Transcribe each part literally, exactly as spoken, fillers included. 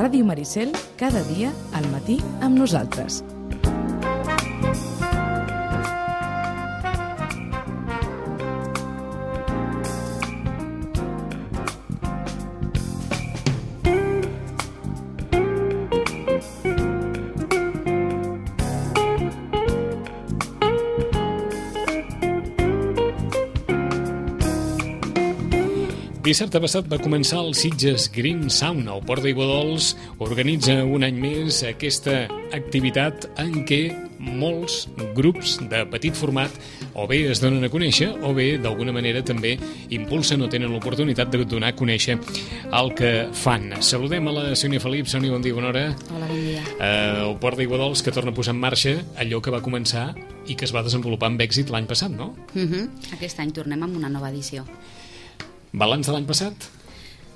Ràdio Maricel, cada dia al matí amb nosaltres. Dissabte passat va començar el Sitges Green Sound. El Port d'Aiguadols organitza un any més aquesta activitat en què molts grups de petit format o bé es donen a conèixer o bé d'alguna manera també impulsen o tenen l'oportunitat de donar a conèixer el que fan. Saludem a la Sònia Felip. Sònia, bon dia, bona hora. Hola, bon dia. Eh, el Port d'Aiguadols que torna a posar en marxa allò que va començar i que es va desenvolupar amb èxit l'any passat, no? Uh-huh. Aquest any tornem amb una nova edició. Balanç de l'any passat?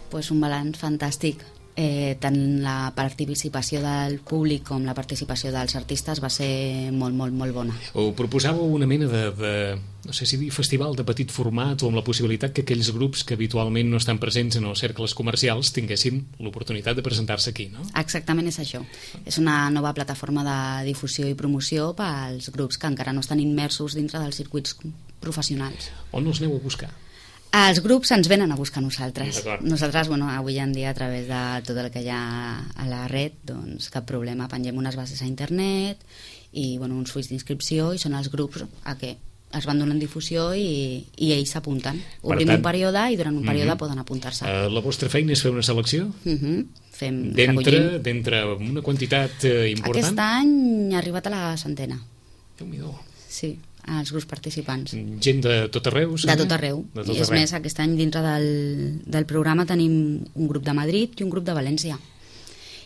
Pues un balanç fantàstic. Eh, tant la participació del públic com la participació dels artistes va ser molt, molt, molt bona. O proposàveu una mena de, de, no sé si dir, festival de petit format o amb la possibilitat que aquells grups que habitualment no estan presents en els cercles comercials tinguessin l'oportunitat de presentar-se aquí, no? Exactament és això. És una nova plataforma de difusió i promoció pels grups que encara no estan immersos dintre dels circuits professionals. On els aneu a buscar? Els grups ens venen a buscar nosaltres. Nosaltres, bueno, avui en dia, a través de tot el que hi ha a la red, doncs cap problema, pengem unes bases a internet i bueno, uns fulls d'inscripció i són els grups a què es van donant difusió i, i ells s'apunten. Obrim un període i durant un període uh-huh. poden apuntar-se. Uh, la vostra feina és fer una selecció? Uh-huh. Fem, D'entre d'entre una quantitat uh, important? Aquest any ha arribat a la centena. Déu-n'hi-do. Sí, els grups participants. Gent de tot arreu? De tot arreu. De tot I és arreu. Més, aquest any dintre del, del programa tenim un grup de Madrid i un grup de València.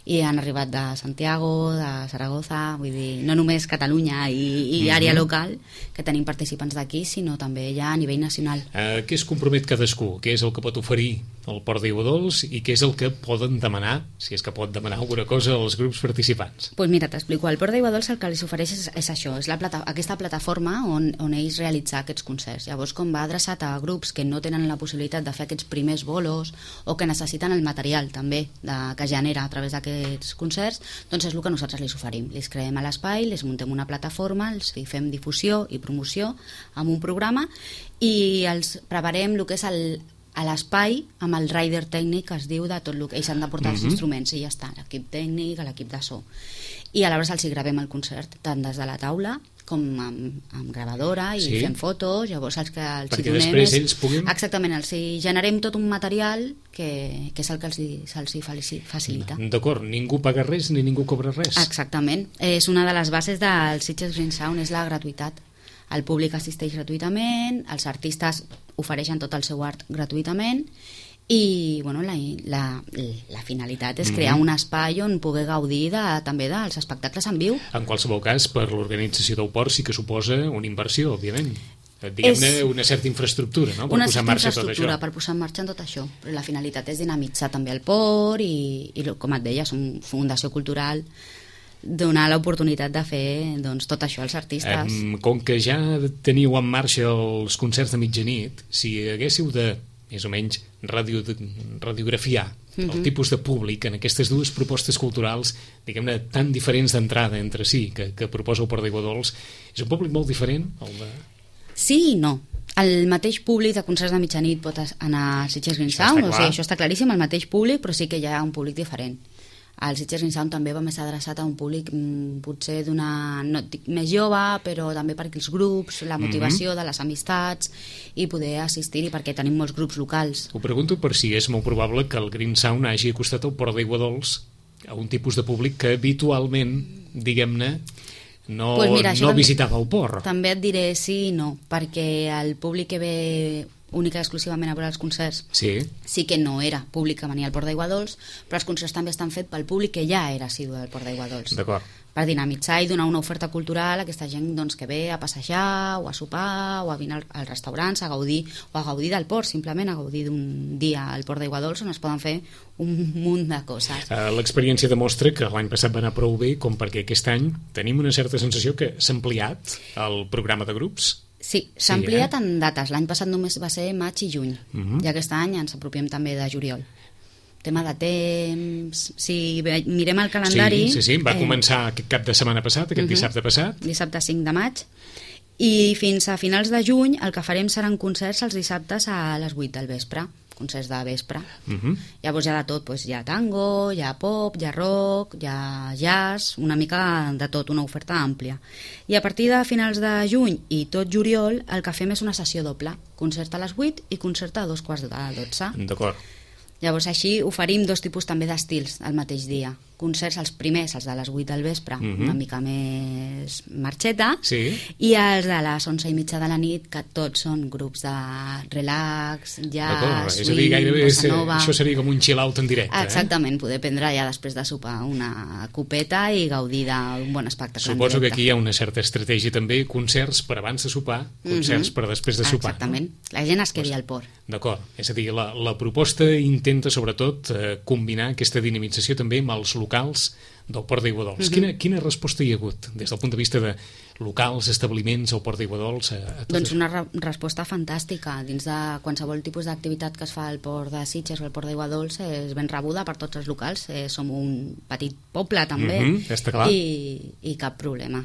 I han arribat de Santiago, de Saragossa, vull dir, no només Catalunya i, i mm-hmm. àrea local, que tenim participants d'aquí, sinó també ja a nivell nacional. Uh, què es compromet cadascú? Què és el que pot oferir el Port d'Aiguadols i què és el que poden demanar, si és que pot demanar alguna cosa als grups participants? Doncs pues mira, t'explico. El Port d'Aiguadols el que els ofereix és, és això, és la plata, aquesta plataforma on, on ells realitzar aquests concerts. Llavors, com va adreçat a grups que no tenen la possibilitat de fer aquests primers bolos o que necessiten el material també de, que genera a través d'aquest aquests concerts, doncs és el que nosaltres els oferim. Els creem a l'espai, els muntem una plataforma, els fem difusió i promoció amb un programa i els preparem el que és el, a l'espai amb el rider tècnic que es diu de tot el que ells han de portar els uh-huh. instruments i ja està, l'equip tècnic, l'equip de so. I aleshores els hi gravem el concert, tant des de la taula com amb, amb gravadora i sí. fem fotos, llavors els que els perquè hi donem després és, ells puguin... exactament, els hi generem tot un material que, que és el que els hi, se'ls hi facilita. D'acord, ningú paga res ni ningú cobra res. Exactament, és una de les bases del Sitges Green Sound, és la gratuïtat. El públic assisteix gratuïtament, els artistes ofereixen tot el seu art gratuïtament i bueno, la, la, la finalitat és crear mm-hmm. un espai on poder gaudir de, també dels espectacles en viu. En qualsevol cas, per l'organització del port sí que suposa una inversió, òbviament. Diguem-ne és una certa infraestructura, no? Per una posar en marxa tot això. Per posar en marxa tot això. Però la finalitat és dinamitzar també el port i, i com et deia, som fundació cultural, donar l'oportunitat de fer doncs, tot això als artistes. Um, com que ja teniu en marxa els concerts de mitjanit, si haguéssiu de més o menys radio, radiografiar mm-hmm. el tipus de públic en aquestes dues propostes culturals, diguem-ne, tan diferents d'entrada entre si, que, que proposa el Port d'Aiguadols, és un públic molt diferent? El de... Sí i no. El mateix públic de concerts de mitjanit pot anar al Sitges Green Sound, o sigui, això està claríssim, el mateix públic, però sí que hi ha un públic diferent. El Sitges Green Sound també va més adreçat a un públic mm, potser d'una, no dic més jove, però també perquè els grups, la motivació mm-hmm. de les amistats i poder assistir-hi perquè tenim molts grups locals. Ho pregunto per si és molt probable que el Green Sound hagi acostat al Port d'Aiguadols a un tipus de públic que habitualment, diguem-ne, no, pues mira, no visitava el port. També et diré sí i no, perquè el públic que ve única i exclusivament a veure els concerts sí. sí que no era públic que venia al Port d'Aiguadols, però els concerts també estan fets pel públic que ja era assidu del Port d'Aiguadols. D'acord. Per dinamitzar i donar una oferta cultural a aquesta gent doncs, que ve a passejar o a sopar o a venir als restaurants a gaudir o a gaudir del port, simplement a gaudir d'un dia al Port d'Aiguadols on es poden fer un munt de coses. Uh, l'experiència demostra que l'any passat va anar prou bé com perquè aquest any tenim una certa sensació que s'ha ampliat el programa de grups. Sí, s'ha ampliat sí, eh? en dates. L'any passat només va ser maig i juny. Uh-huh. I aquest any ens apropiem també de juliol. tema de temps... Si mirem el calendari... Sí, sí, sí. va eh... començar aquest cap de setmana passat, aquest uh-huh. dissabte passat. Dissabte cinc de maig. I fins a finals de juny el que farem seran concerts els dissabtes a les vuit del vespre, concerts de vespre. Uh-huh. Llavors hi ha de tot, doncs, hi ha tango, hi ha pop, hi ha rock, hi ha jazz, una mica de tot, una oferta àmplia. I a partir de finals de juny i tot juliol el que fem és una sessió doble, concert a les vuit i concert a dos quarts de dotze. D'acord. Llavors així oferim dos tipus també d'estils al mateix dia. Concerts, els primers, els de les vuit del vespre, uh-huh. una mica més marxeta, sí. i els de les onze i mitja de la nit, que tots són grups de relax, jazz, swing, dir, gairebé bossa nova. Això seria com un chill-out en directe. Exactament, eh? poder prendre ja després de sopar una copeta i gaudir d'un bon espectacle. Suposo que aquí hi ha una certa estratègia també, concerts per abans de sopar, concerts uh-huh. per després de sopar. Exactament, no? La gent es quedi al port. D'acord, és a dir, la, la proposta intenta sobretot eh, combinar aquesta dinamització també amb els locals del Port d'Aiguadols. Uh-huh. Quina, quina resposta hi ha hagut des del punt de vista de locals, establiments al Port d'Aiguadols? A, a doncs una re resposta fantàstica. Dins de qualsevol tipus d'activitat que es fa al Port de Sitges o al Port d'Aiguadols és ben rebuda per tots els locals. Eh, som un petit poble també, uh-huh, està clar. I, i cap problema.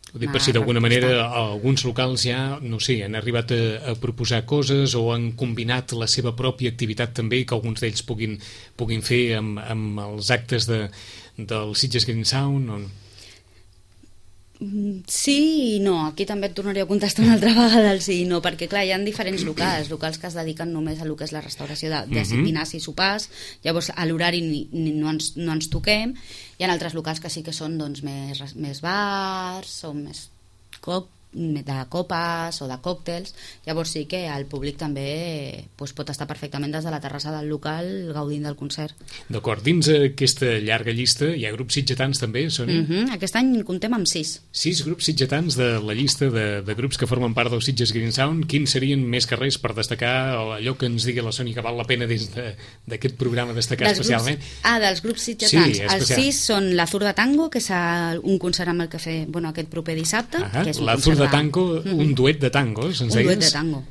Ho dic per si d'alguna manera alguns locals ja, no sé, han arribat a, a proposar coses o han combinat la seva pròpia activitat també, que alguns d'ells puguin, puguin fer amb, amb els actes de, del Sitges Green Sound o... Sí i no, aquí també et tornaria a contestar una altra vegada el sí i no, perquè clar, hi ha diferents locals, locals que es dediquen només a lo que és la restauració de, de uh-huh. dinars i sopars, llavors a l'horari ni, ni, no, ens, no ens toquem. Hi ha altres locals que sí que són doncs, més, més bars o més cop, de copes o de còctels, llavors sí que el públic també doncs, pot estar perfectament des de la terrassa del local gaudint del concert. D'acord, dins aquesta llarga llista hi ha grups sitgetans també, Sònia? Uh-huh. Aquest any comptem amb sis. Sis grups sitgetans de la llista de, de grups que formen part del Sitges Green Sound. Quins serien més que res per destacar allò que ens digui la Sònia que val la pena des d'aquest de, programa destacar dels especialment? Grups, ah, dels grups sitgetans. Sí, els sis són la Zurda Tango, que és un concert amb el que fer bueno, aquest proper dissabte. Uh-huh. Que és un la Zurda Tango, un mm-hmm. duet de tangos, ens un deies? duet de tango,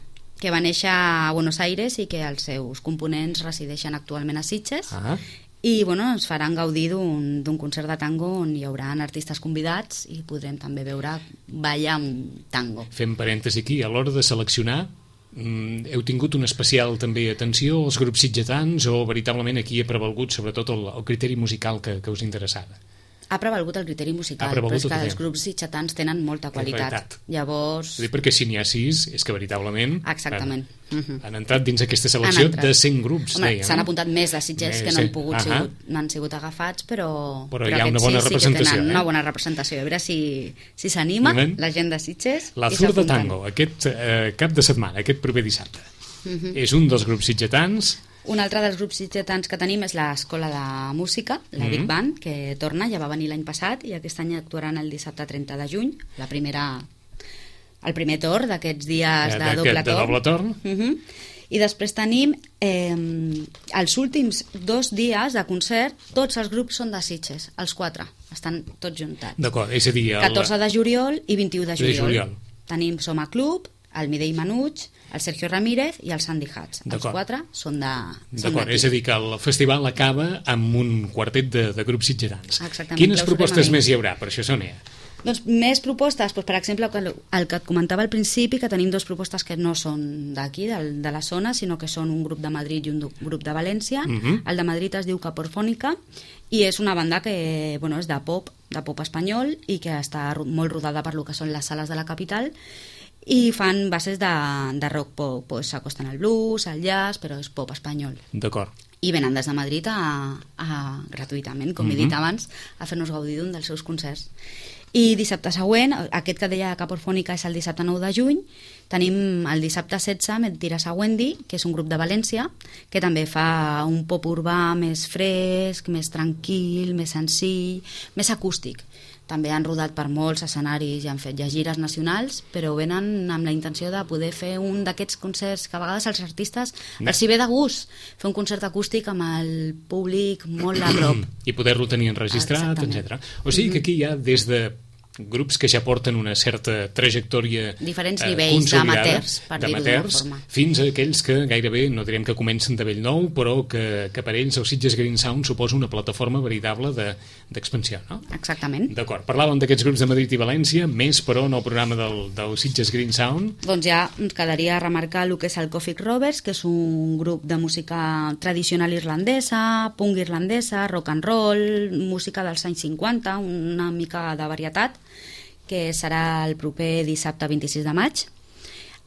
que va néixer a Buenos Aires i que els seus components resideixen actualment a Sitges. Ah. I bueno, ens faran gaudir d'un concert de tango on hi haurà artistes convidats i podrem també veure ballar un tango. Fem parèntesi aquí, a l'hora de seleccionar mm, heu tingut una especial també atenció als grups sitgetans o veritablement aquí ha prevalgut sobretot el, el criteri musical que, que us interessava? Ha prevalgut el criteri musical, però és que els grups sitgetans tenen molta qualitat. qualitat. Llavors... Dir, perquè si n'hi ha sis, és que veritablement Exactament. Han, uh-huh. han entrat dins aquesta selecció de cent grups. S'han apuntat més de Sitges més, que no han, pogut uh-huh. sigut, no han sigut agafats, però, però, però hi ha una bona sí, representació. Sí que tenen eh? una bona representació. A veure si si s'anima la gent de Sitges. La Zurda Tango, aquest eh, cap de setmana, aquest proper dissabte. Uh-huh. És un dels grups sitgetans. Un altre dels grups sitgetans que tenim és l'Escola de Música, la mm-hmm. Big Band, que torna, ja va venir l'any passat i aquest any actuaran el dissabte trenta de juny, la primera, el primer torn d'aquests dies de, de, doble de, de doble torn. Mm-hmm. I després tenim eh, els últims dos dies de concert, tots els grups són de Sitges, els quatre, estan tots juntats. D'acord, és a dir... El... catorze de juliol i vint-i-u de juliol. De juliol. Tenim Soma Club, el Midei Manuig, el Sergio Ramírez i el Sandy Hatch. Els quatre són de... D'acord, és a dir que el festival acaba amb un quartet de, de grups sitgetans. Exactament. Quines propostes més hi haurà, per això, Sònia? Doncs més propostes, doncs, per exemple, el que et comentava al principi, que tenim dues propostes que no són d'aquí, de, de la zona, sinó que són un grup de Madrid i un grup de València. Uh-huh. El de Madrid es diu Caporfònica i és una banda que bueno, és de pop, de pop espanyol i que està molt rodada per lo que són les sales de la capital i fan bases de, de rock pop, pues, s'acosten al blues, al jazz, però és pop espanyol. D'acord. I venen des de Madrid a, a, gratuïtament, com mm-hmm. he dit abans, a fer-nos gaudir d'un dels seus concerts. I dissabte següent, aquest que deia Caporfònica és el dissabte nou de juny, tenim el dissabte setze Mentiras a Wendy, que és un grup de València, que també fa un pop urbà més fresc, més tranquil, més senzill, més acústic. També han rodat per molts escenaris i han fet ja gires nacionals, però venen amb la intenció de poder fer un d'aquests concerts que a vegades els artistes no. els hi ve de gust, fer un concert acústic amb el públic molt a prop. I poder-lo tenir enregistrat, etcètera. O sigui que aquí hi ha des de grups que ja porten una certa trajectòria diferents eh, nivells d'amateurs, per dir-ho d'una forma, fins a aquells que gairebé, no direm que comencen de bell nou, però que, que per ells el Sitges Green Sound suposa una plataforma veritable d'expansió, de, no? Exactament. D'acord, parlàvem d'aquests grups de Madrid i València, més però en el programa del, del Sitges Green Sound. Doncs ja ens quedaria remarcar el que és el Coffee Rovers, que és un grup de música tradicional irlandesa, punk irlandesa, rock and roll, música dels anys cinquanta, una mica de varietat, que serà el proper dissabte vint-i-sis de maig.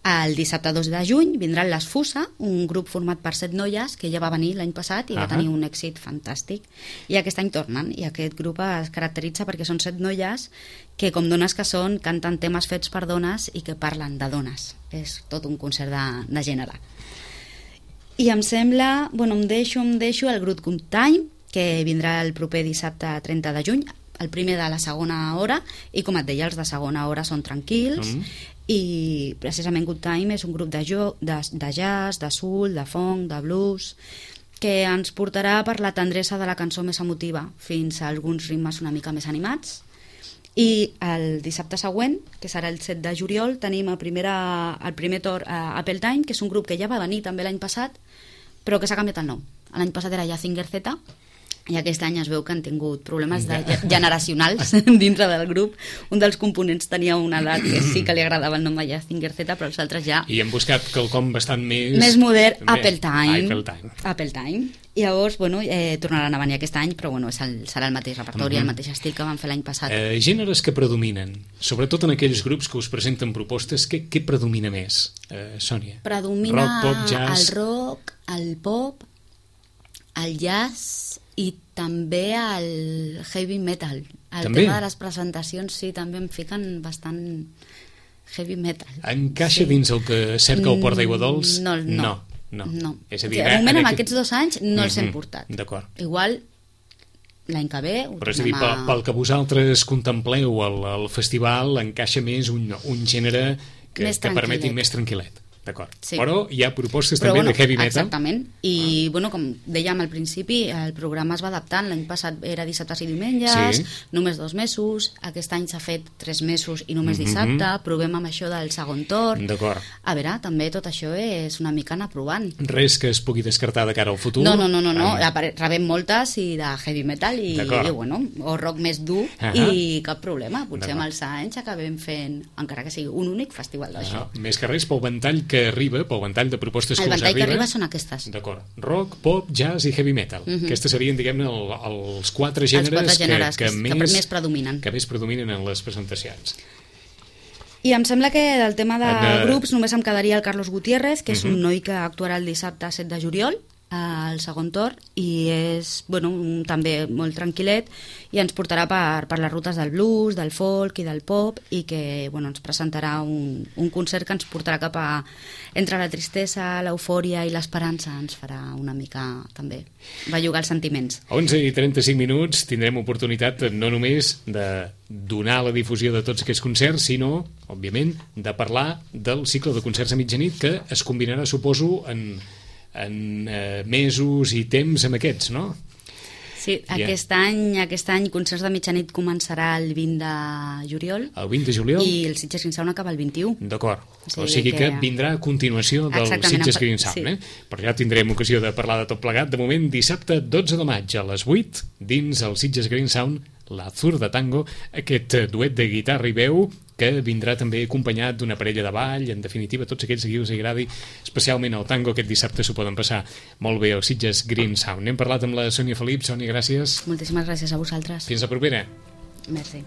El dissabte dos de juny vindran les Fusa, un grup format per set noies que ja va venir l'any passat i va uh-huh. tenir un èxit fantàstic. I aquest any tornen, i aquest grup es caracteritza perquè són set noies que, com dones que són, canten temes fets per dones i que parlen de dones. És tot un concert de, de gènere. I em sembla, bueno, em deixo, em deixo el Good Good Time, que vindrà el proper dissabte trenta de juny, el primer de la segona hora, i com et deia, els de segona hora són tranquils, mm. i precisament Good Time és un grup de, jo, de, de jazz, de soul, de funk, de blues, que ens portarà per la tendresa de la cançó més emotiva fins a alguns ritmes una mica més animats. I el dissabte següent, que serà el set de juliol, tenim el, primera, el primer torn a Apple Time, que és un grup que ja va venir també l'any passat, però que s'ha canviat el nom. L'any passat era Jazinger Z, i aquest any es veu que han tingut problemes de generacionals dintre del grup. Un dels components tenia una edat que sí que li agradava el nom de Jazinger Z, però els altres ja... I hem buscat quelcom bastant més... Més modern, Apple Time. Apple Time. Apple Time. I llavors, bueno, eh, tornaran a venir aquest any, però bueno, és el, serà el mateix repertori, uh-huh. el mateix estil que van fer l'any passat. Eh, gèneres que predominen, sobretot en aquells grups que us presenten propostes, què, què predomina més, eh, Sònia? Predomina rock, pop, jazz... el rock, el pop, el jazz i també el heavy metal. El també? tema de les presentacions, sí, també em fiquen bastant heavy metal. Encaixa sí. dins el que cerca el Port d'Aigua Dols? No, no. no. No. no. És a dir, o sigui, de moment, en aquest... aquests dos anys, no els hem mm-hmm. portat. D'acord. Igual, l'any que ve... Però és a dir, pel, pel que vosaltres contempleu al, al festival, encaixa més un, un gènere que, que permeti més tranquil·let. D'acord. Sí. Però hi ha propostes Però, també bueno, de heavy metal. Exactament. I, ah. bueno, com dèiem al principi, el programa es va adaptant. L'any passat era dissabtes i diumenges, sí. només dos mesos. Aquest any s'ha fet tres mesos i només dissabte. Mm-hmm. Provem amb això del segon torn. D'acord. A veure, també tot això és una mica anar provant. Res que es pugui descartar de cara al futur? No, no, no. no, no. Ah. Rebem moltes i de heavy metal i, i bueno, o rock més dur uh -huh. i cap problema. Potser amb els anys acabem fent, encara que sigui un únic festival d'això. Ah, més que res pel ventall que arriba, pel ventall de propostes que us arriba. El ventall que arriba són aquestes. D'acord. Rock, pop, jazz i heavy metal. Uh -huh. Aquestes serien, diguem-ne, el, els quatre gèneres, els quatre gèneres que, que, que, més, que més predominen. Que més predominen en les presentacions. I em sembla que del tema de uh... grups només em quedaria el Carlos Gutiérrez, que és uh -huh. un noi que actuarà el dissabte set de juliol, al segon torn, i és bueno, un, també molt tranquil·let, i ens portarà per, per les rutes del blues, del folk i del pop, i que bueno, ens presentarà un, un concert que ens portarà cap a entre la tristesa, l'eufòria i l'esperança. Ens farà una mica també bellugar els sentiments. A onze i trenta-cinc minuts tindrem oportunitat no només de donar la difusió de tots aquests concerts, sinó, òbviament, de parlar del cicle de concerts a mitjanit, que es combinarà, suposo, en en eh, mesos i temps amb aquests, no? Sí, yeah. aquest any aquest any Concerts de Mitjanit començarà el vint de juliol. El vint de juliol? I el Sitges Green Sound acaba el vint-i-u. D'acord. O sigui, o sigui que... que vindrà a continuació del Sitges Green Sound, sí. eh? Però ja tindrem ocasió de parlar de tot plegat. De moment, dissabte dotze de maig a les vuit, dins el Sitges Green Sound, l'Azur de Tango, aquest duet de guitarra i veu que vindrà també acompanyat d'una parella de ball. En definitiva, tots aquells que us agradi especialment el tango, aquest dissabte s'ho poden passar molt bé al Sitges Green Sound. N'hem parlat amb la Sònia Felip. Sònia, gràcies. Moltíssimes gràcies a vosaltres. Fins la propera. Merci.